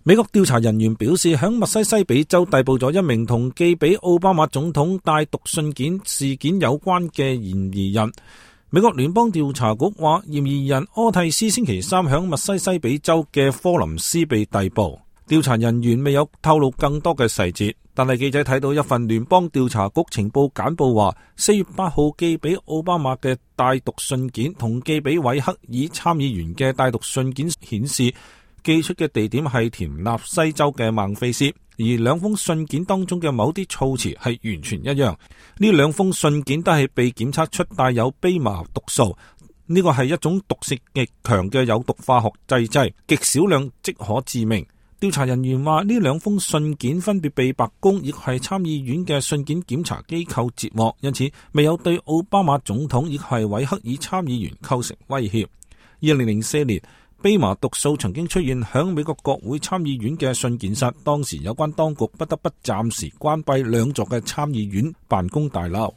美國調查人員表示，響密西西比州逮捕咗一名同寄俾奧巴馬總統帶毒信件事件有關嘅嫌疑人。美國聯邦調查局話，嫌疑人柯蒂斯星期三響密西西比州嘅科林斯被逮捕。調查人員未有透露更多嘅細節，但係記者睇到一份聯邦調查局情報簡報話，4月8號寄俾奧巴馬嘅帶毒信件同寄俾韋克爾參議員嘅帶毒信件顯示，寄出嘅地點係田納西州嘅孟菲斯，而兩封信件當中嘅某啲措辭係完全一樣。呢兩封信件都係被檢測出帶有蓖麻毒素，呢個係一種毒性極強嘅有毒化學製劑，極少量即可致命。調查人員話，呢兩封信件分別被白宮亦係參議院嘅信件檢查機構截獲，因此未有對奧巴馬總統亦係韋克爾參議員構成威脅。2004年，蓖麻毒素曾經出現響美國國會參議院嘅信件室，當時有關當局不得不暫時關閉兩座嘅參議院辦公大樓。